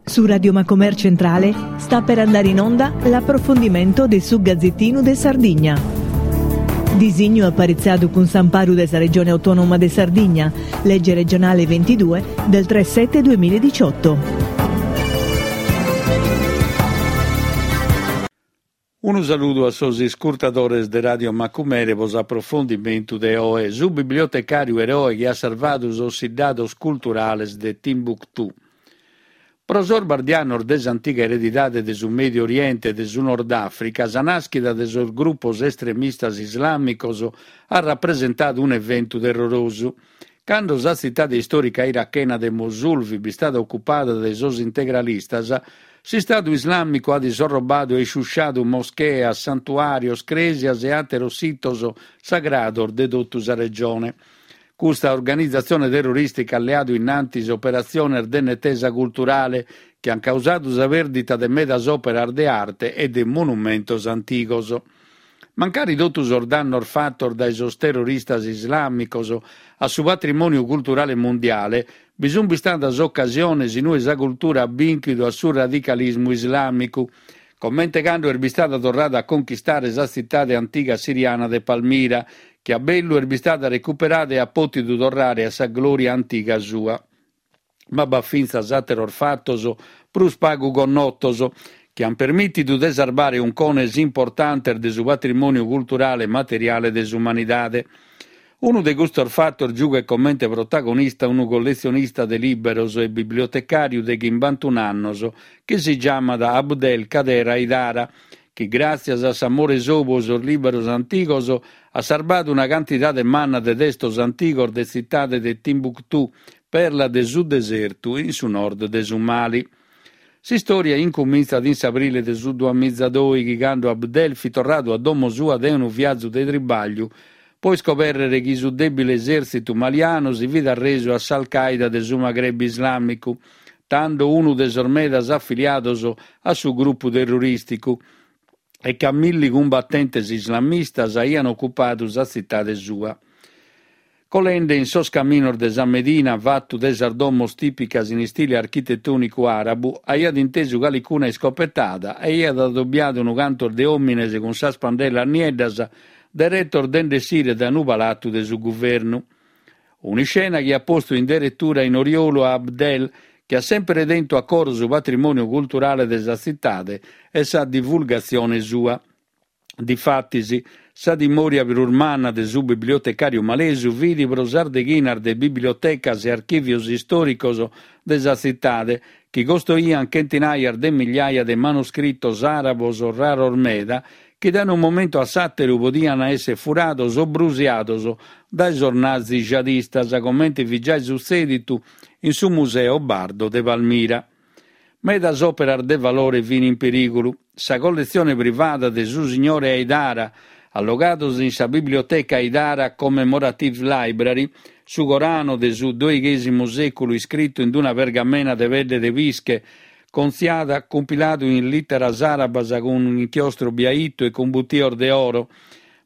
Su Radio Macomer Centrale sta per andare in onda l'approfondimento de su Gazzettinu de Sardigna. Disignu aparitzadu cun s'amparu de sa Regione Autonoma de Sardigna, Legge regionale 22 del 3 7 2018. Unu saludu a sos iscurtadores de Radio Macumere pro s'aprofondimentu de oe, su bibliotecàriu eroe chi at sarvadu sos siddados culturales de Timbuktu. Pro sos bardianos de s'antiga eredidade de su Mèdiu Oriente e de su Nord Àfrica, sa nàschida de sos grupos estremistas islàmicos at rapresentadu un'eventu terrorosu. Cando sa tzitade istòrica irachena de Mosul fit bistada ocupada dae sos integralistas, s'Istadu Islàmicu at isorrobadu e isciusciadu moscheas, santuàrios, crèsias e àteros sitos sagrados de totu sa regione. Custa organizatzione terrorìstica at leadu in antis operatziones de netesa culturale chi ant causadu sa pèrdita de medas òperas de arte e de monumentos antigos. Mancari totu sos dannos fatos dae sos terroristas islàmicos a su patrimòniu culturale mundiale, bi sunt bistadas ocasiones in ue sa cultura at bìnchidu a su radicalismu islàmicu, comente cando est bistada torrada a conchistare sa tzitade antiga siriana de Palmira, chi a bellu est bistada recuperada e at pòtidu torrare a sa glòria antiga sua. Ma b'at fintzas àteros fatos prus pagu connotos, chi ant permìtidu de sarbare uncones importantes de su patrimòniu culturale e materiale de s'umanidade. Unu de custos fatos giughet comente protagonista unu colletzionista de lìberos e bibliotecàriu de chimbantun'annos chi si giamat Abdel Kader Haidara, chi gràtzias a s'amore sou pro sos lìberos antigos at sarbadu una cantidade manna de testos antigos de tzitade de Timbuktu, perla de su desertu in su nord de su Mali. S'istòria incumintzat in s'abrile de su duamizadòighi, cando Abdel fit torradu a domo sua dae unu viazu de tribàgliu pro iscobèrrere chi su dèbile esèrtzitu malianu si fit arresu a s'Al Qaida de su Maghreb Islàmicu, tando unu de sos medas afiliados a su grupu terrorìsticu, e ca milli cumbatentes islamistas aiant ocupadu sa tzitade sua. Colende in sos caminos de sa Medina, fatu de sas domos tìpicas in istile architetònicu àrabu, aiat intesu calicuna iscopetada e aiat adobiadu unu cantos de òmines cun sas pandelas nieddas deretos de nd'essire dae unu palatu de su guvernu. Un'iscena chi at postu in deretura in oriolu a Abdel, chi at semper tentu a coro su patrimòniu culturale de sa tzitade e sa divulgatzione sua. Difatis, sa timòria prus manna de su bibliotecàriu malesu fit pro sas deghinas de bibliotecas e archìvios istòricos de sa tzitade, chi costoiant chentinaias de migliaia de manuscritos àrabos raros meda, chi dae unu momentu a s'àteru podiant èssere furados o brusiados dae sos nazi jihadistas, comente fit giai sutzèditu in su Museo Bardo de Palmira. Medas òperas de valore fin in perìgulu. Sa colletzione privada de su signore Haidara, allogados in sa Biblioteca Haidara Commemorative Library, su Corano de su doighèsimu sèculu iscritu in una pergamena de pedde de pische, contziada, cumpiladu in lìteras àrabas cun un'inchiostru biaitu e cun butios de oro,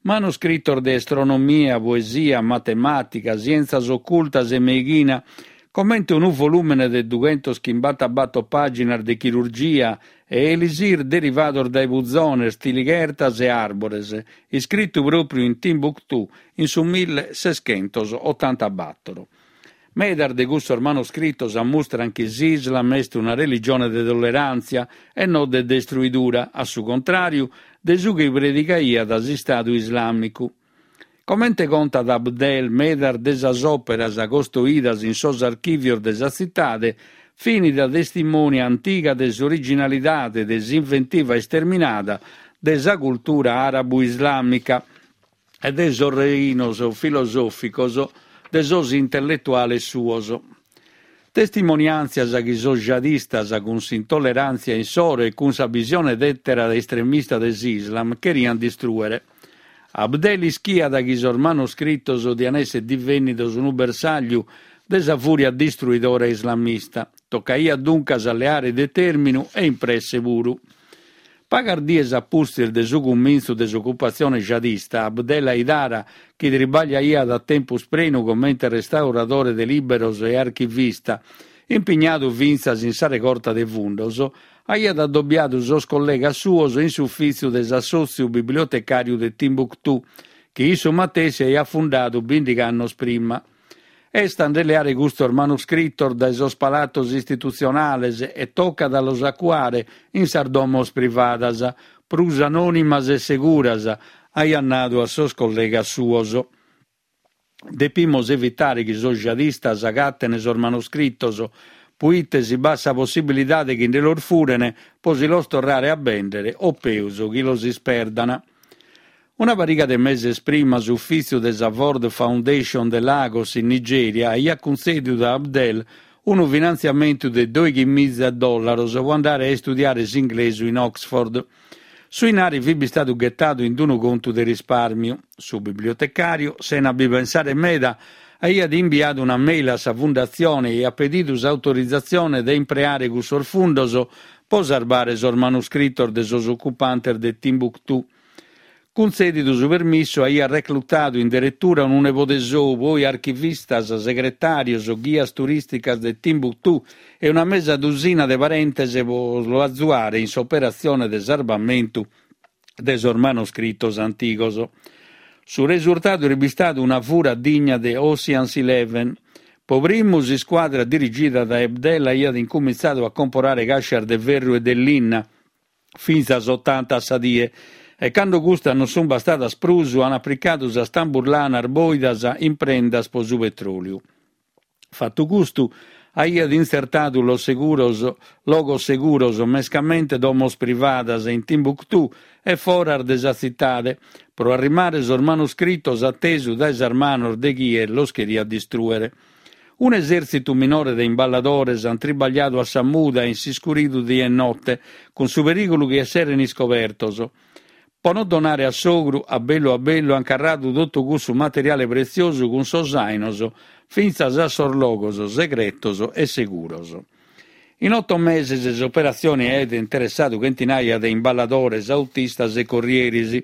manuscritos de astronomia, poesia, matemàtica, sièntzias ocultas e meighina, comente unu volùmene de dughentoschimbatabator pàginas de chirurgia e elisir derivados dae puzones, tilighertas e àrbores, iscritu pròpriu in Timbuktu in su millesescentosotantabator. Medas de cussos manoscritos ammustran chi s'Islam est una religione de tolleràntzia e no de destruidura, a su contràriu de su chi predigaiat s'Istadu Islàmicu. Comente contat Abdel, medas de sas òperas costoidas in sos archìvios de sa tzitade fin da testimonia antiga de s'originalidade de s'inventiva isterminada de sa cultura àrabu-islàmica, e de sos reinos filosòficos de sos intelletuales suos. Testimoniàntzias chi sos jihadistas, cun s'intolleràntzia insoro e cun sa bisione tètera estremista de s'Islam, cheriant distrùere. Abdel ischiat chi sos manoscritos diant èssere divènnidos unu bersàgliu de sa fùria distruidora islamista. Tocaiat duncas a leare determinu e in presse puru. Pagas dies a pustis de su cumintzu de s'ocupatzione jihadista, Abdel Haidara, chi tribagliaiat a tempus prenu comente restauradore de lìberos e archivista. Impignadu fintzas in sa regorta de fundos, aiat adobiadu sos collegas suos in s'ufìtziu de s'Assòtziu Bibliotecàriu de Timbuktu, chi issu matessi aiat fundadu bìndighi annos prima. Est a nde leare custos manuscritos dae sos palatos istitutzionales e tocat a los acuare in sas domos privadas, prus anònimas e seguras, aiat nadu a sos collegas suos. Depimos evitare chi sos jihadistas agaten sos manuscritos, puite si b'at sa possibilidade chi nde los furen po si los torrare a bèndere o peus chi los isperdan. Una pariga de meses prima s'ufìtziu de sa Ford Foundation de Lagos in Nigèria aiat cuntzèdidu a Abdel unu finantziamentu de doighimiza dòllaros pro andare a istudiare s'inglesu in Oxford. Su 'inari fit bistadu ghetadu in unu contu de rispàrmiu. Su bibliotecàriu, sena bi pensare meda, aiat imbiadu una mail a sa fundatzione e aiat pedidu s'autorizatzione de impreare cussos fundos pro sarbare sos manuscritos de sos ocupantes de Timbuktu. Cuntzèdidu su permissu, aiat reclutadu in deretura unu nebode sou, poi archivistas, segretàrios, ghias turìsticas de Timbuktu e una mesa dusina de parentes pro lu azuare in s'operatzione de sarbamentu de sos manoscritos antigos. Su resurtadu est bistadu una fura digna de Ocean's Eleven. Pro primu s'iscuadra dirigida dae Abdel aiat incumintzadu a comporare càscias de ferru e de linna, fintzas otanta a sa die, e cando custas non sunt bastadas prus an apricadu sas tamburlanas bòidas in prendas pro su petròliu. Fatu custu, aiat intzertadu los seguros logos seguros, mescamente domos privadas in Timbuktu e foras de sa tzitade, pro arrimare sos manuscritos a tesu dae sas manos de chie los cheriat distrùere. Un'esèrtzitu minore de imballadores ant tribagliadu a sa muda e in s'iscuridu die e note, cun su perìgulu chi esseren iscobertos. Pro no donare a s'ogru, a bellu a bellu ant carradu totu cussu materiale pretziosu cun sos àinos fintzas a sos logos segretos e seguros. In oto meses s'operatzione aiat interessadu chentinaia de imballadores, autistas e corrieris.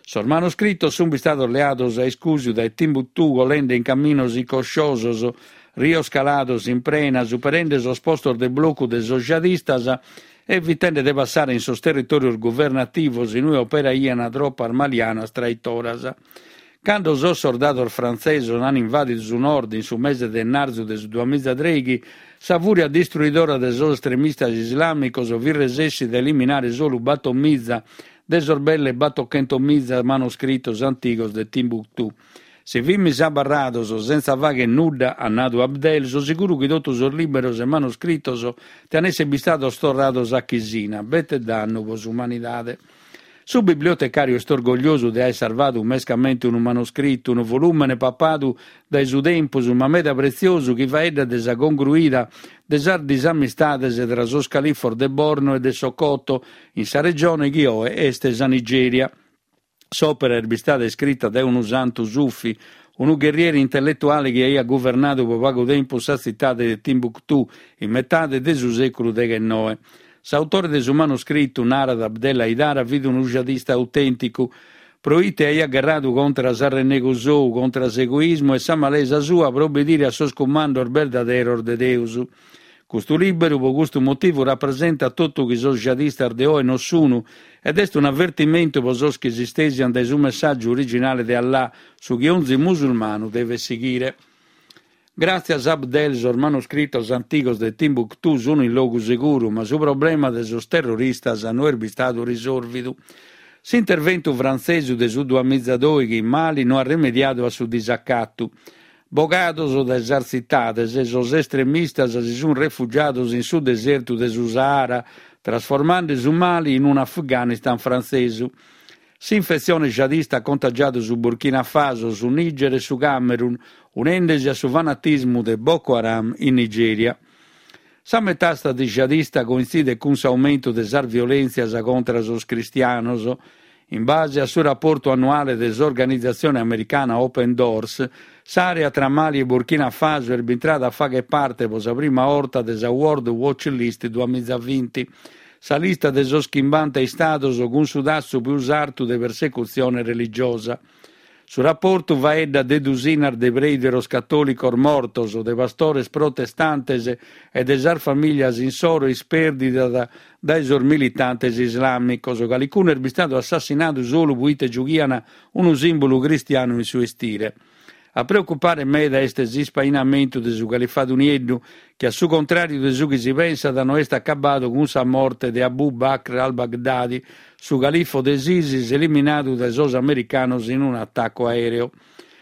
Sos manuscritos sunt bistados leados a iscùsiu dae Timbuktu colende in caminos icosciosos, rios calados in prena, superende sos postos de blocu de sos jihadistas e evitende de passare in sos territòrios guvernativos in ue operaiant tropas malianas traitoras. Cando sos sordados frantzesos an invàdidu su nord in su mese de ennarzu de su duamizatreighi, sa fùria distruidora de sos estremistas islàmicos fit resèssida a eliminare solu batomiza de sos belle batochentomiza manoscritos antigos de Timbuktu. Si fimis abarrados sentza fagher nudda, at nadu Abdel, so siguru chi totu sos lìberos e manoscritos tian esser bistados torrados a chisina. Bete dannu pro s'umanidade. Su bibliotecàriu est orgogliosu de aer sarvadu mescamente unu manoscritu, unu volùmene papadu dae su tempus, ma meda pretziosu chi faeddat de sa congruida de sas disamistades tra sos califos de Borno e de Sokoto in sa regione chi oe est sa Nigèria. S'òpera est bistada iscrita dae unu santu sufi, unu gherrieri intelletuale chi aiat guvernadu pro pagu tempus sa tzitade de Timbuktu in metade de su sèculu deghennoe. S'autore de su manuscritu, narat Abdel Haidara, fit unu jihadista autènticu, pro ite aiat gherradu contra s'arrennegu sou, contra s'egoismu e sa malesa sua pro obbedire a sos cumandos berdaderos de Deus. Custu lìberu, pro custu motivu, rapresentat totu chi sos jihadistas de oe non sunu ed est un'avertimentu pro sos chi s'istèsiant dae su messàgiu originale de Allah, su chi onzi musulmanu devet sighire. Gràtzias a Abdel sos manuscritos antigos de Timbuktu sun in logu seguru, ma su problema de sos terroristas no est bistadu risòrvidu. S'interventu frantzesu de su duamizadoighi in Mali no at remediadu a su disacatu. Bogados dae sas tzitades, sos estremistas si sun refugiados in su desertu de su Sahara, trasformande su Mali in un'Afghanistan frantzesu. S'infetzione jihadista at contagiadu su Burkina Faso, su Niger e su Camerun, unende-si a su fanatismu de Boko Haram in Nigèria. Sa metàstasi jihadista cointzidet cun s'aumentu de sas violèntzias contra sos cristianos. In base a su raportu annuale de s'organizatzione americana Open Doors, s'àrea tra Mali e Burkina Faso est bintrada a fagher parte pro sa prima 'orta de sa World Watch List duamizavinti, sa lista de sos chimbanta istados cun su tassu pius artu de persecutzione religiosa. Su raportu faeddat de dusinas de preideros catòlicos mortos, de pastores protestantes e de sas famìlias insoro ispèrdidas dae sos militantes islàmicos. Calicunu est bistadu assassinadu solu proite giughian unu sìmbulu cristianu in su 'estire. A preocupare meda est s'ispainamentu de su Califadu Nieddu, chi a su contràriu de su chi si pensat no est acabadu cun sa morte de Abu Bakr al-Baghdadi, su califo de s'ISIS eliminadu dae sos americanos in un'atacu aèreu.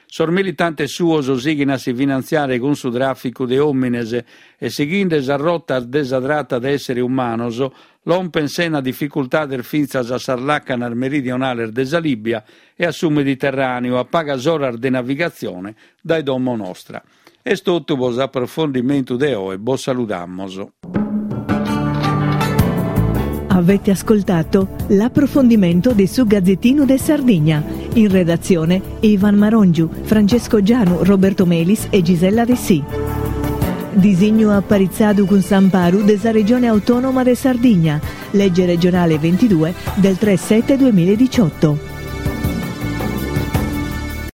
Sos militantes suos sighin a si finantziare cun su tràficu de òmines e sighinde sas rotas de sa trata de èssere umanos, lompen sena dificultades fintzas a sas làcanas meridionales de sa Lìbia e a su Mediterràneu, a pagas oras de navigatzione dae domo nostra. Est totu pro s'aprofondimentu de oe, bos saludamos. Avete ascoltato l'approfondimento de su Gazzettino de Sardigna. In redazione Ivan Marongiu, Francesco Gianu, Roberto Melis e Gisella Dessì. Disignu aparitzadu cun s'amparu de sa Regione Autonoma de Sardigna, legge regionale 22 del 3 7 2018.